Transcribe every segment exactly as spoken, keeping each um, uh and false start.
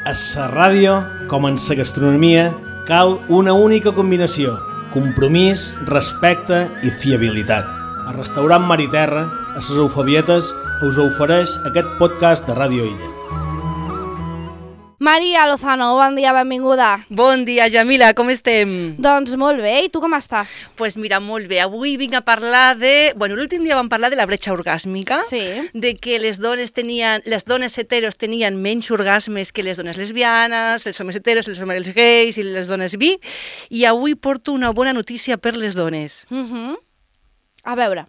A la ràdio, com en la gastronomia, cal una única combinació: compromís, respecte i fiabilitat. El restaurant Mar i Terra, a les Eufebietes, us ofereix aquest podcast de Ràdio Illa. Maria Lozano, bon dia, benvinguda. Bon dia, Jamila, com estem? Doncs molt bé, i tu com estàs? Doncs pues mira, molt bé. Avui vinc a parlar de... Bueno, l'últim dia vam parlar de la bretxa orgàsmica, sí. De que les dones tenien, les dones heteros tenien menys orgasmes que les dones lesbianes, els homes heteros, els homes gais i les dones bi, i avui porto una bona notícia per les dones. Uh-huh. A veure.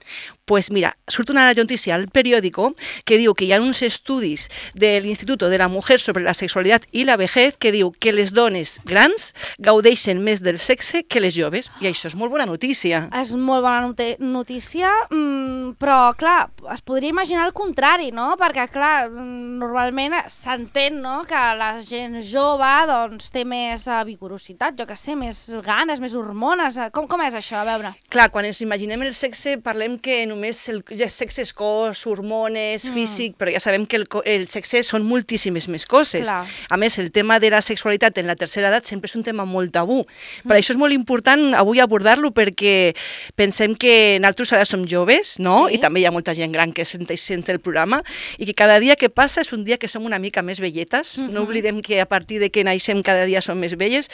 Pues mira, surt una notícia al periòdico que diu que hi ha uns estudis de l'Instituto de la Mujer sobre la Sexualitat i la Vejez que diu que les dones grans gaudeixen més del sexe que les joves, i això és molt bona notícia. És molt bona not- notícia, mmm, però clar, es podria imaginar el contrari, no? Perquè clar, normalment s'entén, no?, que la gent jove doncs, té més uh, vigorositat, jo què sé, més ganes, més hormones. Com, com és això? A veure. Clar, quan ens imaginem el sexe parlem que només el, el sexe és cos, hormones, mm. físic, però ja sabem que el, el sexe són moltíssimes més coses. Clar. A més, el tema de la sexualitat en la tercera edat sempre és un tema molt tabú. Mm. Per això és molt important avui abordar-lo, perquè pensem que nosaltres ara som joves, no? Sí. I també hi ha molta gent gran que sent, sent el programa, i que cada dia que passa és un dia que som una mica més velletes. Mm-hmm. No oblidem que a partir de que naixem cada dia som més velles,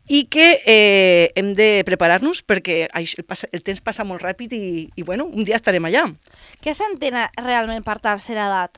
i que eh, hem de preparar-nos perquè el, el temps passa molt ràpid i, i bueno, un dia estarem allà. Què s'entén realment per tercera edat?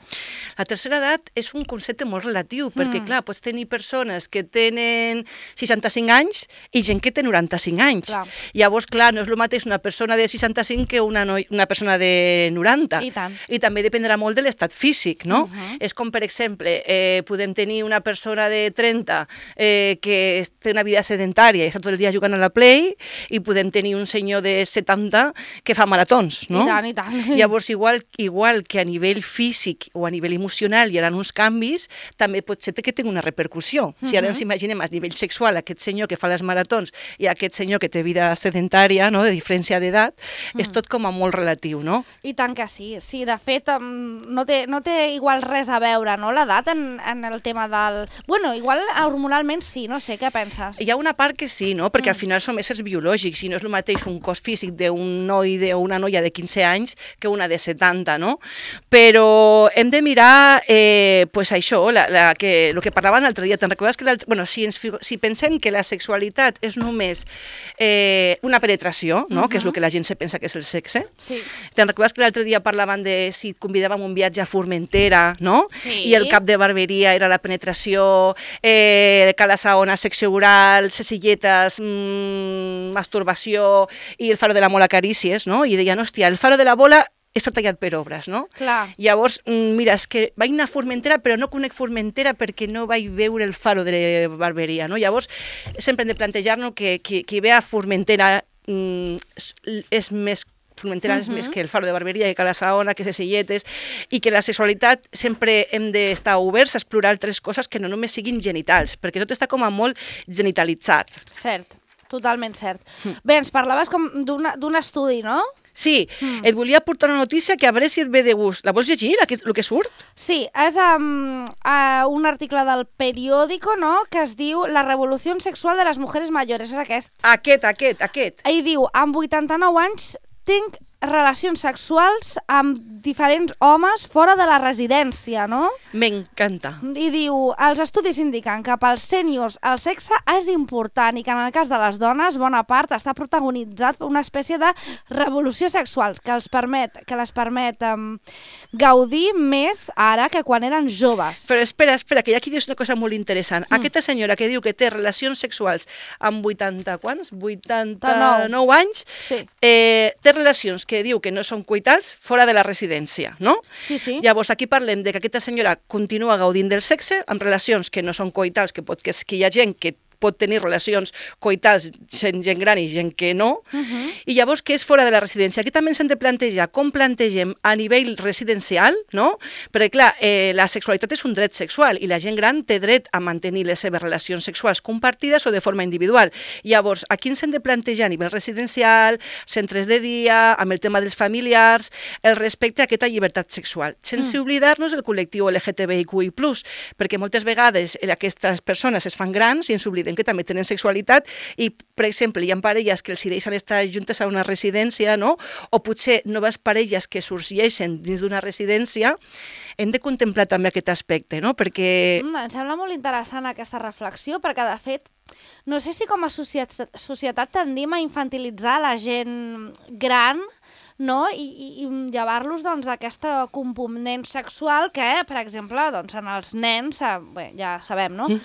La tercera edat és un concepte molt relatiu, perquè, mm. clar, pots tenir persones que tenen seixanta-cinc anys i gent que té noranta-cinc anys. Clar. Llavors, clar, no és el mateix una persona de seixanta-cinc que una, noi, una persona de noranta. I tant. I també dependrà molt de l'estat físic, no? Uh-huh. És com, per exemple, eh, podem tenir una persona de trenta eh, que té una vida sedentària i està tot el dia jugant a la Play, i podem tenir un senyor de setanta que fa maratons, no? I tant, i tant. Llavors, igual, igual que a nivell físic o a nivell emocional hi ha uns canvis, també pot ser que tingui una repercussió. Si ara ens imaginem a nivell sexual aquest senyor que fa les maratons i aquest senyor que té vida sedentària, no?, de diferència d'edat, mm. és tot com a molt relatiu, no? I tant que sí. Sí, de fet, no té, no té igual res a veure, no?, l'edat en, en el tema del... Bueno, igual hormonalment sí, no sé, què penses? Hi ha una part que sí, no?, perquè mm. al final som éssers biològics i no és el mateix un cos físic d'un noi o una noia de quinze anys que una de setanta, no? Però hem de mirar, eh, pues això, la, la, que, el que parlaven l'altre dia. Te'n recordes que bueno, si, ens, si pensem que la sexualitat és només eh, una penetració, no? Uh-huh. Que és el que la gent se pensa que és el sexe. Sí. Te'n recordes que l'altre dia parlaven de si et convidàvem un viatge a Formentera, no? Sí. I el cap de barberia era la penetració, eh, cala saona, secció oral, cecilletes, mmm, masturbació, i el faro de la mola carícies, no? I deien, hòstia, el faro de la bola està tallat per obres, no? Clar. Llavors, mira, és que vaig anar a Formentera, però no conec Formentera perquè no vaig veure el faro de la barberia, no? Llavors, sempre hem de plantejar-nos que qui, qui ve a Formentera mm, és més Formentera uh-huh. és més que el faro de barberia, que Cala Saona, que Cecilletes, i que la sexualitat sempre hem d'estar oberts a explorar altres coses que no només siguin genitals, perquè tot està com a molt genitalitzat. Cert, totalment cert. Mm. Bé, ens parlaves com d'un estudi, no? Sí, mm. et volia portar una notícia que a veure si et ve de gust. La vols llegir, el que, el que surt? Sí, és um, uh, un article del periòdico, no?, que es diu La revolució sexual de les mujeres mayores, és aquest. Aquest, aquest, aquest. I diu, amb vuitanta-nou anys tinc relacions sexuals amb diferents homes fora de la residència, no? M'encanta. I diu, els estudis indiquen que pels sèniors el sexe és important i que en el cas de les dones, bona part, està protagonitzat per una espècie de revolució sexual que els permet, que les permet um, gaudir més ara que quan eren joves. Però espera, espera, que aquí dius una cosa molt interessant. Mm. Aquesta senyora que diu que té relacions sexuals amb vuitanta, quants? vuitanta-nou anys, sí. eh, té relacions que diu que no són coitals fora de la residència, no? Sí, sí. Llavors, aquí parlem de que aquesta senyora continua gaudint del sexe amb relacions que no són coitals, que, pot, que, és, que hi ha gent que pot tenir relacions coitals sent gent gran i gent que no, Uh-huh. i llavors què és fora de la residència? Aquí també ens hem de plantejar com plantegem a nivell residencial, no? Perquè clar, eh, la sexualitat és un dret sexual i la gent gran té dret a mantenir les seves relacions sexuals compartides o de forma individual. Llavors, aquí ens hem de plantejar a nivell residencial, centres de dia, amb el tema dels familiars, el respecte a aquesta llibertat sexual, sense mm. oblidar-nos del col·lectiu L G T B I Q I plus, perquè moltes vegades aquestes persones es fan grans i ens oblidem que també tenen sexualitat i, per exemple, hi ha parelles que els hi deixen estar juntes a una residència, no? O potser noves parelles que sorgeixen dins d'una residència, hem de contemplar també aquest aspecte, no? Perquè... Mm, em sembla molt interessant aquesta reflexió, perquè, de fet, no sé si com a societat, societat tendim a infantilitzar la gent gran, no? I, i, i llevar-los doncs, d'aquesta component sexual que, per exemple, doncs, en els nens, eh, bé, ja sabem, no? Mm.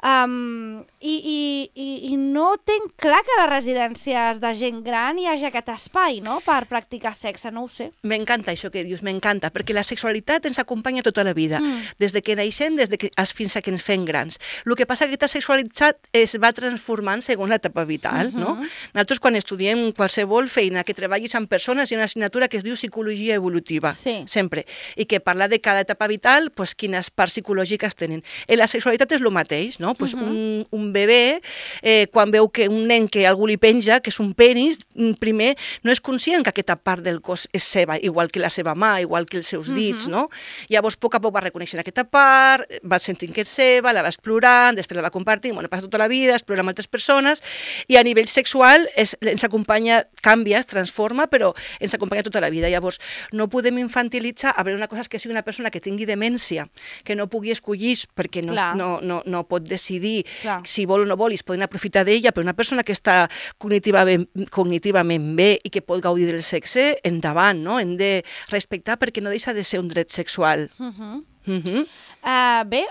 Um, i, i, i, I no tinc clar que a les residències de gent gran hi hagi aquest espai, no?, per practicar sexe, no ho sé. M'encanta això que dius, m'encanta, perquè la sexualitat ens acompanya tota la vida, mm. des de que naixem, des de que, fins a que ens fem grans. El que passa és que aquesta sexualitat es va transformant segons l'etapa vital, mm-hmm. no? Nosaltres, quan estudiem qualsevol feina que treballis amb persones, hi ha una assignatura que es diu psicologia evolutiva, sí. sempre, i que parla de cada etapa vital, pues, quines parts psicològiques tenen. I la sexualitat és el mateix, no? Pues uh-huh. un, un bebè, eh, quan veu que un nen que algú li penja, que és un penis, primer no és conscient que aquesta part del cos és seva, igual que la seva mà, igual que els seus dits, uh-huh. no? Llavors, a poc a poc va reconeixent aquesta part, va sentint que és seva, la va explorant, després la va compartint, bueno, passa tota la vida, explora amb altres persones, i a nivell sexual és, ens acompanya, canvia, es transforma, però ens acompanya tota la vida. Llavors, no podem infantilitzar, a veure, una cosa és que sigui una persona que tingui demència, que no pugui escollir perquè no, no, no, no pot decidir Clar. si vol o no vol i es poden aprofitar d'ella, però una persona que està cognitivament, cognitivament bé i que pot gaudir del sexe, endavant, no? Hem de respectar perquè no deixa de ser un dret sexual. Uh-huh. Uh-huh. Uh, bé,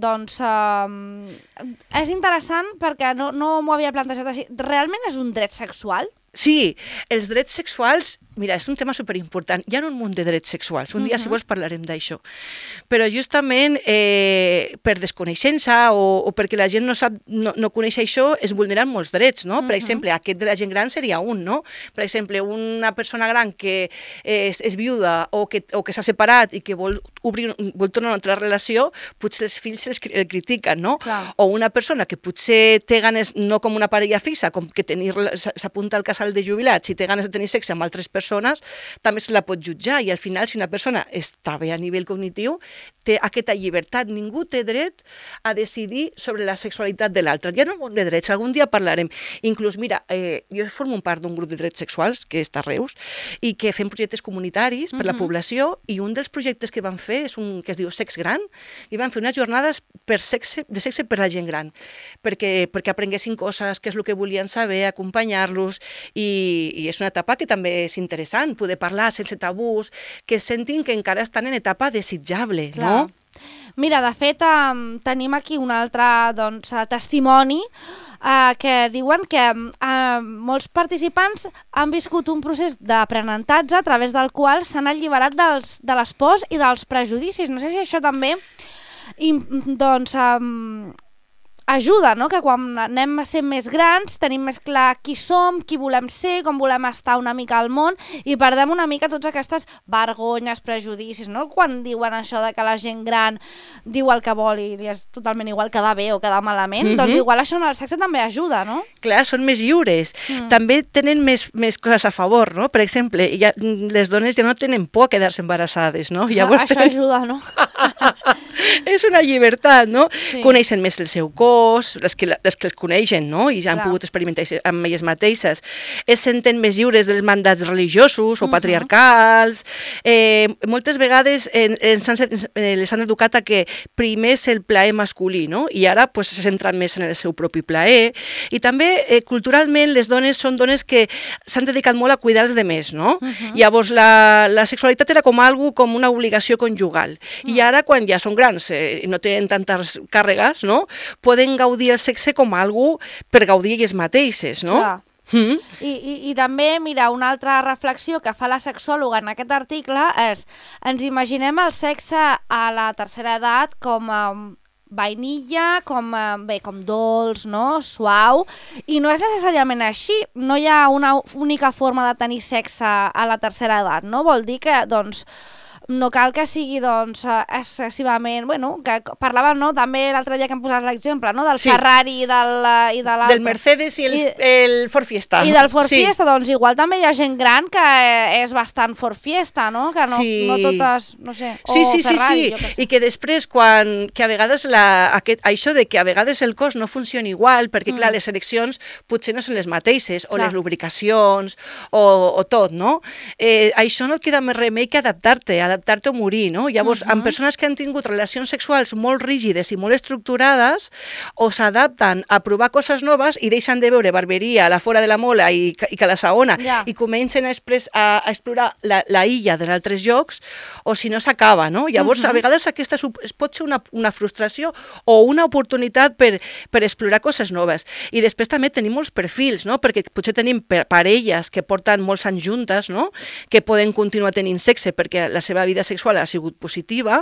doncs uh, és interessant perquè no, no m'ho havia plantejat així. Realment és un dret sexual? Sí, els drets sexuals, mira, és un tema superimportant. Hi ha un munt de drets sexuals. Un dia, uh-huh. si vols, parlarem d'això. Però justament eh, per desconeixença o, o perquè la gent no sap, no, no coneix això, es vulneren molts drets, no? Uh-huh. Per exemple, aquest de la gent gran seria un, no? Per exemple, una persona gran que és, és viuda o que, o que s'ha separat i que vol obrir, vol tornar a una altra relació, potser els fills els, el critiquen, no? Clar. O una persona que potser té ganes, no com una parella fixa, com que tenir, s'apunta al casal de jubilats, si té ganes de tenir sexe amb altres persones, també se la pot jutjar i al final, si una persona està bé a nivell cognitiu, té aquesta llibertat. Ningú té dret a decidir sobre la sexualitat de l'altre. Hi ha un munt de drets, algun dia parlarem. Inclús, mira, eh, jo formo part d'un grup de drets sexuals, que està a Reus, i que fem projectes comunitaris per uh-huh. la població, i un dels projectes que van fer és un que es diu Sex Gran, i van fer unes jornades per sexe, de sexe per la gent gran, perquè, perquè aprenguessin coses, què és el que volien saber, acompanyar-los. I, i és una etapa que també és interessant, poder parlar sense tabús, que sentin que encara estan en etapa desitjable, Clar. no? Mira, de fet, um, tenim aquí un altre doncs, testimoni uh, que diuen que uh, molts participants han viscut un procés d'aprenentatge a través del qual s'han alliberat dels, de les pors i dels prejudicis. No sé si això també i, doncs, um, ajuda, no? Que quan anem a ser més grans tenim més clar qui som, qui volem ser, com volem estar una mica al món i perdem una mica totes aquestes vergonyes, prejudicis, no? Quan diuen això de que la gent gran diu el que vol i és totalment igual quedar bé o quedar malament, mm-hmm. doncs igual això en el sexe també ajuda, no? Clar, són més lliures. Mm. També tenen més, més coses a favor, no? Per exemple, ja, les dones ja no tenen por a quedar-se embarassades, no? Llavors, això ajuda, no? És una llibertat, no? Sí. Coneixen més el seu cos, les que, les que els coneixen, no? I ja han Clar. pogut experimentar amb elles mateixes. Es senten més lliures dels mandats religiosos o uh-huh. patriarcals. Eh, moltes vegades eh, ens han, eh, les han educat a que primer és el plaer masculí, no? I ara pues, se centren més en el seu propi plaer. I també, eh, culturalment, les dones són dones que s'han dedicat molt a cuidar els demés, no? Uh-huh. Llavors, la, la sexualitat era com algo, com una obligació conjugal. Uh-huh. I ara, quan ja són grans eh, i no tenen tantes càrregues, no? Poden gaudir el sexe com algo per gaudir elles mateixes, no? Clar. Mm. I, i, I també, mira, una altra reflexió que fa la sexòloga en aquest article és ens imaginem el sexe a la tercera edat com a vainilla, com, eh, bé, com dolç, no? Suau, i no és necessàriament així, no hi ha una única forma de tenir sexe a la tercera edat, no? Vol dir que, doncs, no cal que sigui, doncs, excessivament... Bueno, que parlàvem, no?, també l'altre dia que em posaves l'exemple, no?, del sí. Ferrari i, del, i de l'altre. Del Mercedes i el, I, el Ford Fiesta. I del Ford sí. Fiesta, doncs igual també hi ha gent gran que és bastant Ford Fiesta, no?, que no, sí. no totes, no sé, o sí, sí, Ferrari, sí, sí. jo què sé. I que després, quan, que a vegades la, aquest, això de que a vegades el cos no funciona igual, perquè, mm. clar, les ereccions potser no són les mateixes, o clar. Les lubricacions, o, o tot, no? Eh, això no et queda més remei que adaptar-te, adaptar-te o morir, no? Llavors, uh -huh. amb persones que han tingut relacions sexuals molt rígides i molt estructurades, o s'adapten a provar coses noves i deixen de veure barberia a la fora de la mola i, i que la saona, yeah. i comencen a, expres, a, a explorar la, la illa dels altres llocs, o si no s'acaba, no? Llavors, uh -huh. a vegades aquesta pot ser una, una frustració o una oportunitat per, per explorar coses noves. I després també tenim molts perfils, no? Perquè potser tenim parelles que porten molts anys juntes, no? Que poden continuar tenint sexe perquè la seva vida sexual ha sigut positiva,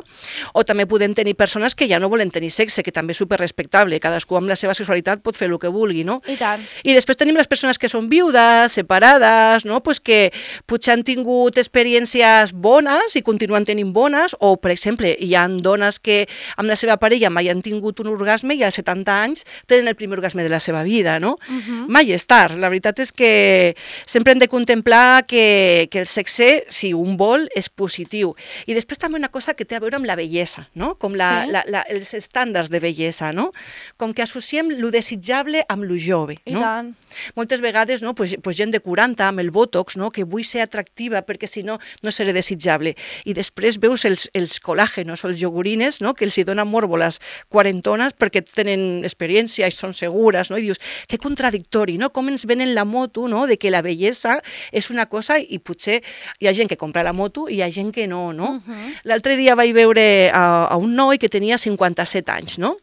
o també podem tenir persones que ja no volen tenir sexe, que també és superrespectable, cadascú amb la seva sexualitat pot fer el que vulgui, no? I tant. I després tenim les persones que són viudes, separades, no? Pues que potser han tingut experiències bones i continuen tenint bones, o, per exemple, hi ha dones que amb la seva parella mai han tingut un orgasme i als setanta anys tenen el primer orgasme de la seva vida, no? Uh-huh. Mai és tard. La veritat és que sempre hem de contemplar que, que el sexe, si un vol, és positiu. I després també una cosa que té a veure amb la bellesa, no? Com la, sí. la, la, els estàndards de bellesa, no? Com que associem lo desitjable amb lo jove, no? I tant. Moltes vegades, no? Pues, pues gent de quaranta amb el botox, no? Que vull ser atractiva perquè si no, no seré desitjable. I després veus els, els colàgenos o els iogurines, no? Que els hi donen morbo les quarantones perquè tenen experiència i són segures, no? I dius, que contradictori, no? Com ens venen la moto, no? De que la bellesa és una cosa i potser hi ha gent que compra la moto i hi ha gent que no, no? Uh-huh. L'altre dia vaig veure a, a un noi que tenia cinquanta-set anys, no?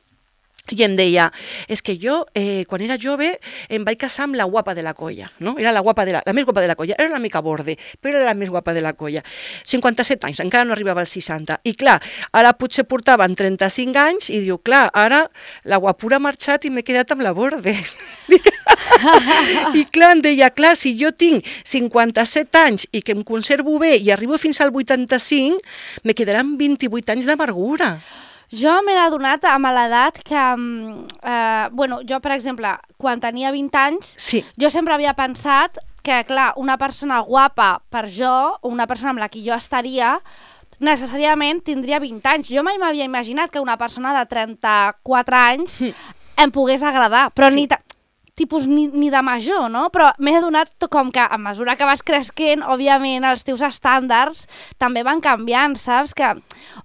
I em deia, és que jo, eh, quan era jove, em vaig casar amb la guapa de la colla, no? Era la guapa de la, la més guapa de la colla, era una mica borde, però era la més guapa de la colla. cinquanta-set anys, encara no arribava als seixanta. I clar, ara potser portaven trenta-cinc anys i diu, clar, ara la guapura ha marxat i m'he quedat amb la borde. I clar, em deia, clar, si jo tinc cinquanta-set anys i que em conservo bé i arribo fins al vuitanta-cinc, me quedaran vint-i-vuit anys d'amargura. Jo m'he adonat amb l'edat que, eh, bueno, jo, per exemple, quan tenia vint anys, sí. jo sempre havia pensat que, clar, una persona guapa per jo, una persona amb la que jo estaria, necessàriament tindria vint anys. Jo mai m'havia imaginat que una persona de trenta-quatre anys sí. em pogués agradar, però sí. ni... tipus ni, ni de major, no? Però m'he adonat com que a mesura que vas creixent, òbviament, els teus estàndards també van canviant, saps? Que,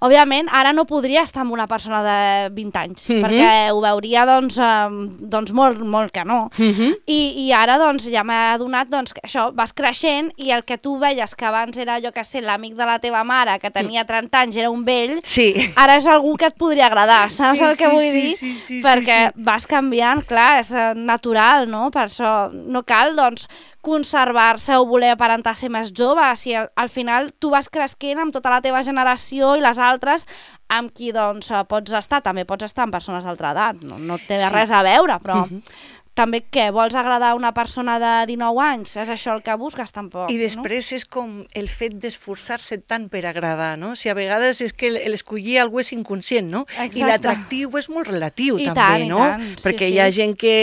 òbviament, ara no podria estar amb una persona de vint anys, mm-hmm. perquè ho veuria, doncs, eh, doncs molt, molt que no. Mm-hmm. I, I ara, doncs, ja m'he adonat, doncs, que això, vas creixent i el que tu veies que abans era, jo que sé, l'amic de la teva mare, que tenia trenta anys, era un vell, sí. ara és algú que et podria agradar, saps sí, el que sí, vull sí, dir? Sí, sí, sí, perquè sí, sí. vas canviant, clar, és natural, no? Per això no cal, doncs, conservar-se o voler aparentar ser més jove, si al, al final tu vas creixent amb tota la teva generació i les altres amb qui, doncs, pots estar, també pots estar amb persones d'altra edat, no, no té sí. res a veure, però... Uh-huh. També, què? Vols agradar a una persona de dinou anys? És això el que busques, tampoc, I després no? és com el fet d'esforçar-se tant per agradar, no? Si a vegades és que l'escollir algú és inconscient, no? Exacte. I l'atractiu és molt relatiu, I també, tant, no? I tant. Perquè sí, hi ha sí. gent que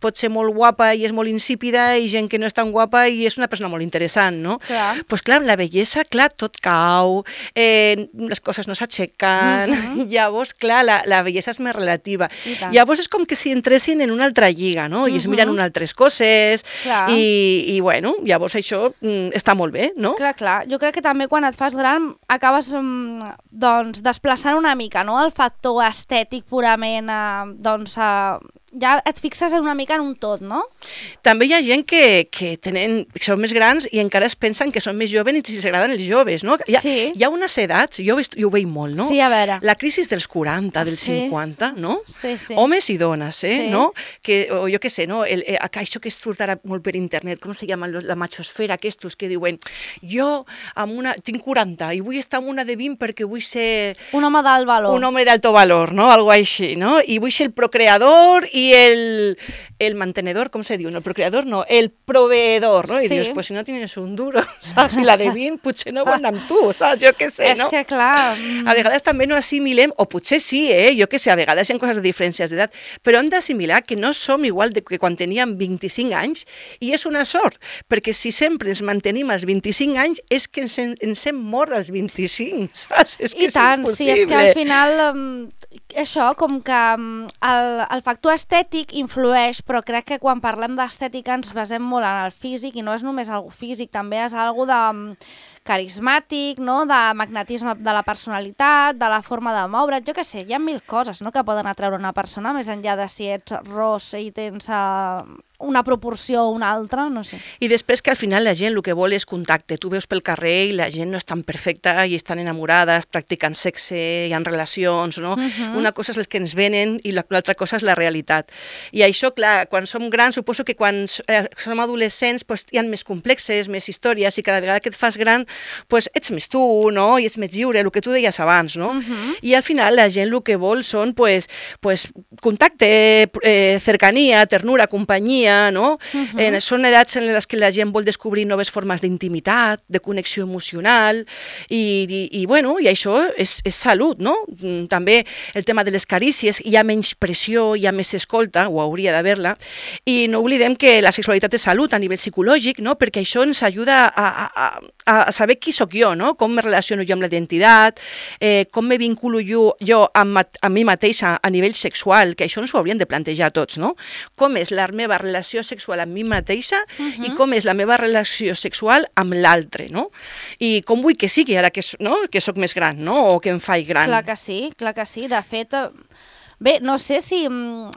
pot ser molt guapa i és molt insípida i gent que no és tan guapa i és una persona molt interessant, no? Clar. Pues clar, amb la bellesa, clar, tot cau, eh, les coses no s'aixequen, mm-hmm. llavors, clar, la, la bellesa és més relativa. Llavors és com que si entressin en una altra lliga, no? I es miren unes altres coses i, i bueno, llavors això mm, està molt bé, no? Clar, clar. Jo crec que també quan et fas gran acabes mm, doncs, desplaçant una mica, no? El factor estètic purament eh, doncs, eh, ja et fixes una mica en un tot, no? També hi ha gent que, que, tenen, que són més grans i encara es pensen que són més joves i si els agraden els joves, no? Hi ha, Sí. hi ha unes edats, jo, ho- jo ho veig molt, no? Sí, a veure. La crisi dels quaranta, dels Sí. cinquanta, no? Sí, sí. Homes i dones, eh? Sí. No? Que, o jo què sé, no? El, eh, això que surt ara molt per internet, com se llama? La machosfera, aquests que diuen jo amb una, tinc quaranta i vull estar amb una de vint perquè vull ser Un home d'alt valor. un hombre de alto valor, ¿no? Algo així, ¿no? Y vull ser el procreador y el, el mantenedor, ¿cómo se diu? No, el procreador no, el proveedor, ¿no? I Sí. dius, pues si no tienes un duro, saps? I la de vint potser no vol anar amb tu, saps? Jo què sé, És no? que, clar... mm, A vegades també no assimilem, o potser sí, eh? Jo què sé, a vegades hi ha coses de diferències d'edat, però hem d'assimilar que no som igual de que quan teníem vint-i-cinc anys, i és una sort, perquè si sempre ens mantenim als vint-i-cinc anys és que ens, hem- ens hem mort als vint-i-cinc, saps? És que I tant, és sí, impossible. és que al final um, això, com que um, el, el factor estètic influeix, però crec que quan parlem d'estètica ens basem molt en el físic i no és només algo físic, també és algo de um, carismàtic, no? De magnetisme de la personalitat, de la forma de moure't, jo què sé, hi ha mil coses, no?, que poden atreure una persona, més enllà de si ets ros i tens uh, una proporció o una altra, no sé. I després que al final la gent el que vol és contacte. Tu veus pel carrer i la gent no és tan perfecta i estan enamorades, practiquen sexe, hi ha relacions, no? Uh-huh. Una cosa és el que ens venen i l'altra cosa és la realitat. I això, clar, quan som grans, suposo que quan eh, som adolescents pues, hi ha més complexes, més històries i cada vegada que et fas gran pues, ets més tu, no? I ets més lliure, el que tu deies abans, no? Uh-huh. I al final la gent el que vol són pues, pues, contacte, eh, cercania, ternura, companyia, no? Uh-huh. eh, són edats en les que la gent vol descobrir noves formes d'intimitat, de connexió emocional i, i, i, bueno, i això és, és salut, no? També el tema de les carícies, hi ha menys pressió, hi ha més escolta, o hauria d'haver-la, i no oblidem que la sexualitat és salut a nivell psicològic, no? Perquè això ens ajuda a, a, a, a saber qui sóc jo, no? Com me relaciono jo amb la identitat, eh, com me vinculo jo, jo amb, amb mi mateixa a nivell sexual, que això ens ho hauríem de plantejar tots, no? Com és la meva relació sexual amb mi mateixa uh-huh. i com és la meva relació sexual amb l'altre, no? I com vull que sigui ara que, no? que sóc més gran, no? O que em faig gran. Clar que sí, clar que sí. De fet, eh, bé, no sé si mm,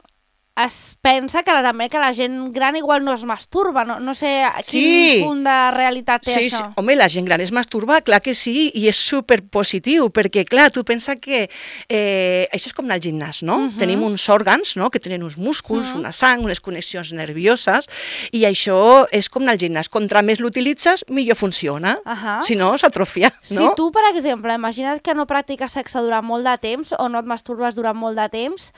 es pensa que la, també que la gent gran igual no es masturba, no, no sé a quin Sí. punt de realitat té Sí, això. sí, home, la gent gran es masturba, clar que sí, i és superpositiu, perquè, clar, tu pensa que eh, això és com anar al gimnàs, no? Uh-huh. Tenim uns òrgans, no?, que tenen uns músculs, uh-huh. una sang, unes connexions nervioses, i això és com anar al gimnàs. Contra més l'utilitzes, millor funciona. Uh-huh. Si no, s'atrofia, no? Si tu, per exemple, imagina't que no practiques sexe durant molt de temps o no et masturbes durant molt de temps,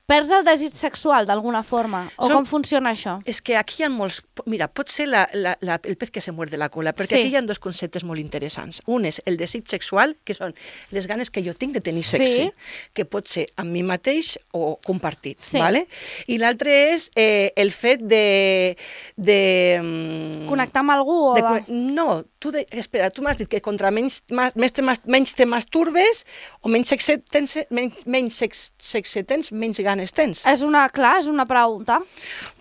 perds el desig sexual d'alguna forma? O Som- com funciona això? És que aquí hi ha molts... Mira, pot ser la, la, la, el pez que se muerde la cola, perquè Sí. aquí hi ha dos conceptes molt interessants. Un és el desig sexual, que són les ganes que jo tinc de tenir Sí. sexe, que pot ser amb mi mateix o compartit, Sí. ¿vale? I l'altre és eh, el fet de... de mm, Connectar amb algú? O de, de... conne- no, tu de, espera, tu m'has dit que contra menys, ma, més te, mas- menys te masturbes o menys sexe tens, menys, menys sex, sexe tens, menys ganes tens. És una, clar, és una pregunta.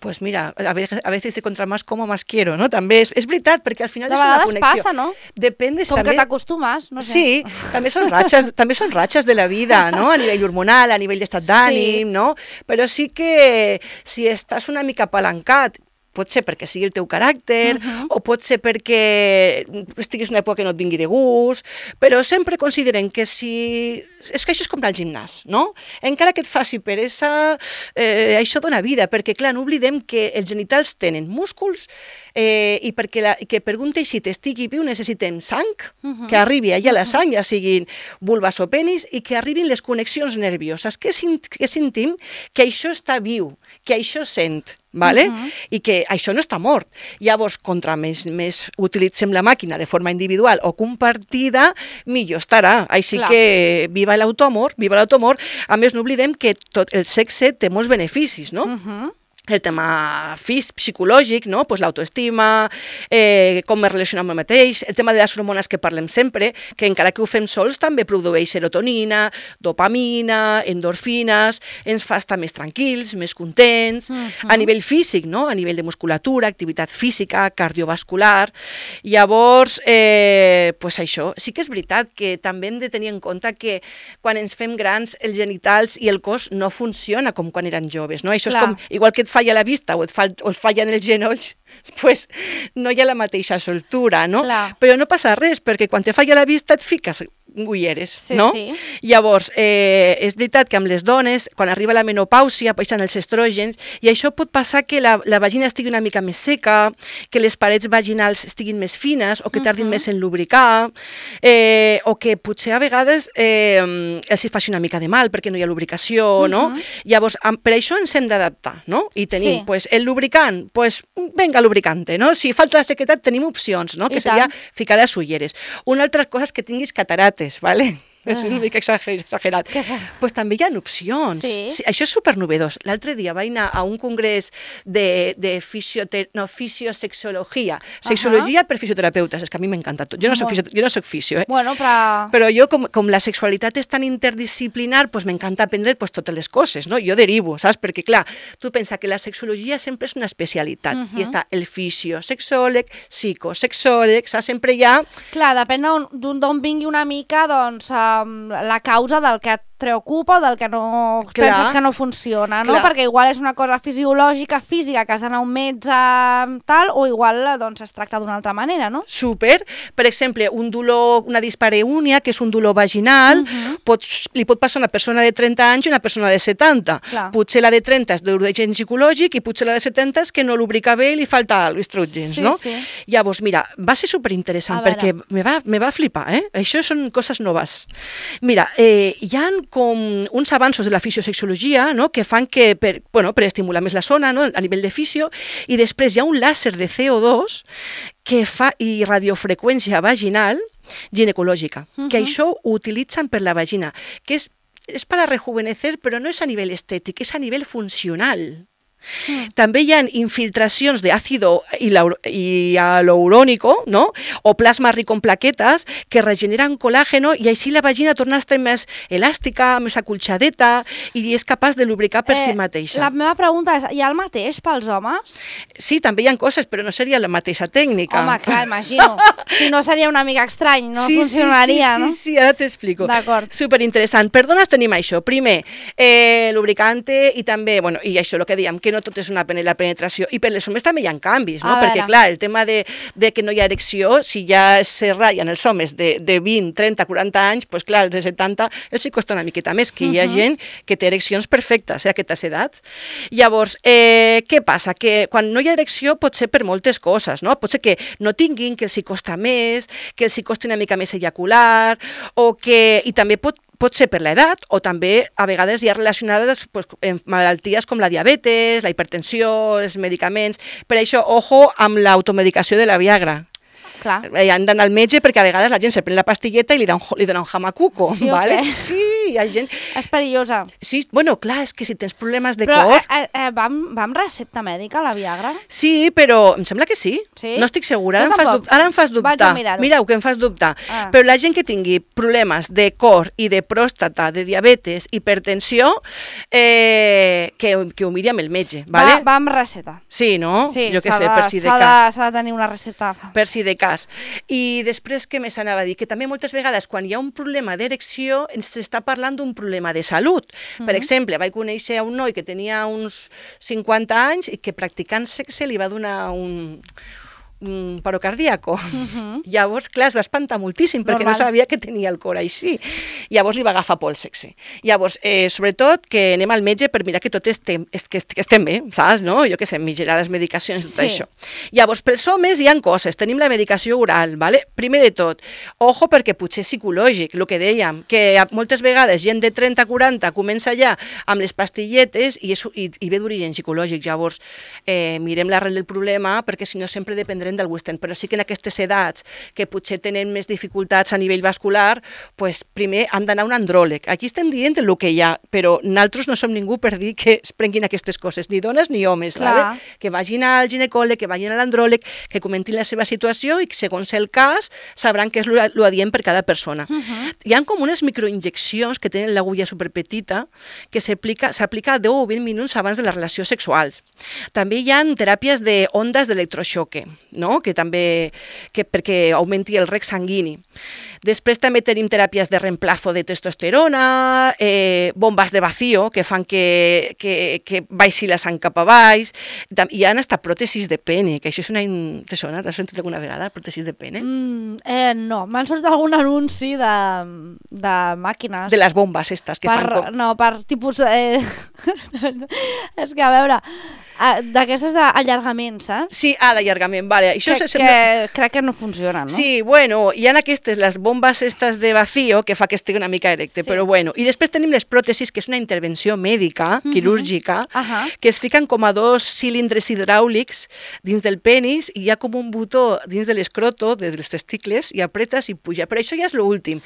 Pues mira, a veces, a veces dice contra más como más quiero, ¿no? També és, és veritat, perquè al final De és una vegades connexió. passa, no? Depèn de Com també... que t'acostumes, no sé. Sí, també són ratxes, també són ratxes de la vida, no? A nivell hormonal, a nivell d'estat d'ànim, Sí. no? Però sí que si estàs una mica apalancat, pot ser perquè sigui el teu caràcter, uh-huh. o pot ser perquè estiguis una època que no et vingui de gust, però sempre considerem que si... És que això és com anar al gimnàs, no? Encara que et faci peresa, eh, això dona vida, perquè, clar, no oblidem que els genitals tenen músculs eh, i perquè la, que per un teixit estigui viu necessitem sang, uh-huh. que arribi allà la sang, ja siguin vulvas o penis, i que arribin les connexions nervioses, que, que sentim que això està viu, que això sent, ¿vale? Uh-huh. I que això no està mort. Llavors, contra més, més utilitzem la màquina de forma individual o compartida, millor estarà. Així Clar. que viva l'automor, viva l'automor. A més, no oblidem que tot el sexe té molts beneficis, no? Uh-huh. el tema físic, psicològic, no? Pues l'autoestima, eh, com me relaciono amb el mateix, el tema de les hormones que parlem sempre, que encara que ho fem sols també produeix serotonina, dopamina, endorfines, ens fa estar més tranquils, més contents, uh-huh. a nivell físic, no? A nivell de musculatura, activitat física, cardiovascular. Llavors, eh, pues això, sí que és veritat que també hem de tenir en compte que quan ens fem grans els genitals i el cos no funciona com quan eren joves, no? Això Clar. És com, igual que et falla la vista o et, fa, o et fallen els genolls, pues no hi ha la mateixa soltura, no? Clar. Però no passa res, perquè quan te falla la vista et fiques ulleres, sí, no? Sí. Llavors, eh, és veritat que amb les dones, quan arriba la menopàusia, baixen els estrògens, i això pot passar que la, la vagina estigui una mica més seca, que les parets vaginals estiguin més fines, o que tardin uh -huh. més en lubricar, eh, o que potser a vegades eh, els hi faci una mica de mal, perquè no hi ha lubricació, uh -huh. no? Llavors, per això ens hem d'adaptar, no? I tenim, sí. pues, el lubricant, pues, venga, lubricante, no? Si falta la sequedat, tenim opcions, no? Que seria ficar les ulleres. Una altra cosa és que tinguis catarates, ¿vale? És una mica exagerat. Pues també hi ha opcions. Sí. Sí, això és supernovedós. L'altre dia vaig anar a un congrés de, de fisiote... no, fisiosexologia. Sexologia uh -huh. per fisioterapeutes. És que a mi m'encanta tot. Jo no soc, fisio... jo no soc fisio, eh? Bueno, però... Però jo, com, com la sexualitat és tan interdisciplinar, pues m'encanta aprendre pues, totes les coses, no? Jo derivo, saps? Perquè, clar, tu pensa que la sexologia sempre és una especialitat. Uh -huh. I està el fisiosexòleg, psicosexòleg, saps? Sempre hi ha... Clar, depèn d'on vingui una mica, doncs... Uh... la causa del que et preocupa o del que no clar, penses que no funciona, no? Clar. Perquè igual és una cosa fisiològica, física, que has d'anar a un metge tal, o igual doncs, es tracta d'una altra manera, no? Super. Per exemple, un dolor, una dispareunia, que és un dolor vaginal, uh -huh. pots, li pot passar a una persona de trenta anys i una persona de setanta. Clar. Potser la de trenta és d'origen psicològic i potser la de setanta és que no lubrica bé i li falta l'estrògens, sí, no? Sí. Llavors, mira, va ser superinteressant perquè me va, me va flipar, eh? Això són coses noves. Mira, eh, hi ha com uns avanços de la fisiosexologia, no?, que fan que, per, bueno, per estimular més la zona, no?, a nivell de fisio, i després hi ha un làser de C O dos que fa, i radiofreqüència vaginal ginecològica, uh -huh. que això ho utilitzen per la vagina, que és, és para rejuvenecer, però no és a nivell estètic, és a nivell funcional. Mm. També hi ha infiltracions d'àcido hialurónico, no? O plasma rico en plaquetes que regeneren colàgeno i així la vagina torna a estar més elàstica, més acolxadeta i és capaç de lubricar per eh, si mateixa. La meva pregunta és, hi ha el mateix pels homes? Sí, també hi ha coses, però no seria la mateixa tècnica. Home, clar, imagino. Si no seria una mica estrany, no sí, funcionaria, sí, sí, no? Sí, sí, ara t'explico. D'acord. Superinteressant. Per dones tenim això. Primer, eh, lubricante i també, bueno, i això, el que dèiem, que no tot és una la penetració. I per les homes també hi ha canvis, no? Perquè, clar, el tema de, de que no hi ha erecció, si ja se ratllen els homes de, de vint, trenta, quaranta anys, doncs clar, els de setanta els hi costa una miqueta més, que hi ha uh -huh. gent que té ereccions perfectes, eh, a aquestes edats. Llavors, eh, què passa? Que quan no hi ha erecció pot ser per moltes coses, no? Pot ser que no tinguin, que els hi costa més, que els hi costi una mica més ejacular, o que... I també pot pot ser per l'edat o també a vegades hi ha relacionades pues, amb malalties com la diabetes, la hipertensió, els medicaments. Per això, ojo amb l'automedicació de la Viagra. Clar. Han d'anar al metge perquè a vegades la gent se pren la pastilleta i li dona un, li dona un jamacuco. Sí, ¿vale? Okay. Sí, hi ha gent... És perillosa. Sí, bueno, clar, és que si tens problemes de però, cor... Però eh, eh, va, amb, va amb recepta mèdica, la Viagra? Sí, però em sembla que sí. Sí? No estic segura, ara, no em fas, dubtar, ara em fas dubtar. Mireu, que em fas dubtar. Ah. Però la gent que tingui problemes de cor i de pròstata, de diabetes, hipertensió, eh, que, que ho miri amb el metge, ¿vale? Va, va amb recepta. Sí, no? Sí, jo què sé, per si de cas. S'ha de tenir una recepta. Per si de cas. I I després, què més anava a dir? Que també moltes vegades, quan hi ha un problema d'erecció, ens està parlant d'un problema de salut. Uh-huh. Per exemple, vaig conèixer un noi que tenia uns cinquanta anys i que practicant sexe li va donar un... un paro cardíaco. Uh-huh. Llavors, clar, es va espantar moltíssim perquè Normal. No sabia que tenia el cor així. Llavors li va agafar por al sexe. Llavors, eh, sobretot, que anem al metge per mirar que tot estem, que estem bé, saps, no? Jo què sé, millorar les medicacions i tot sí. això. Llavors, pels homes hi ha coses. Tenim la medicació oral, ¿vale? Primer de tot, ojo perquè potser és psicològic, el que dèiem, que moltes vegades gent de trenta a quaranta comença ja amb les pastilletes i, és, i, i ve d'origen psicològic. Llavors, eh, mirem l'arrel del problema perquè si no sempre dependrem parlarem del Western, però sí que en aquestes edats que potser tenen més dificultats a nivell vascular, pues, primer han d'anar a un andròleg. Aquí estem dient el que hi ha, però nosaltres no som ningú per dir que es prenguin aquestes coses, ni dones ni homes, vale? Que vagin al ginecòleg, que vagin a l'andròleg, que comentin la seva situació i que segons el cas sabran què és l'adient per cada persona. Uh-huh. Hi ha com unes microinjeccions que tenen l'agulla superpetita que s'aplica a deu o vint minuts abans de les relacions sexuals. També hi ha teràpies d'ondes d'electroxoque, no? Que també que perquè augmenti el rec sanguini. Després també tenim teràpies de reemplazo de testosterona, eh, bombes de vacío que fan que, que, que baixi la sang cap a baix. Hi ha hasta pròtesis de pene, que això és una... Te sona? T'has sentit alguna vegada, pròtesis de pene? Mm, eh, no, m'han sortit algun anunci de, de màquines. De les bombes aquestes que per, fan com... No, per tipus... Eh... és que, a veure... Uh, d'aquestes d'allargament, saps? Sí, ah, d'allargament, vale. Això que, sembla... que crec que no funcionen, no? Sí, bueno, hi ha aquestes, les bombes estas de vacío, que fa que estigui una mica erecte, sí. Però bueno. I després tenim les pròtesis, que és una intervenció mèdica, uh-huh. quirúrgica, uh-huh. que es fiquen com a dos cilindres hidràulics dins del penis i hi ha com un botó dins de l'escroto, dels testicles, i apretes i puja. Però això ja és l'últim.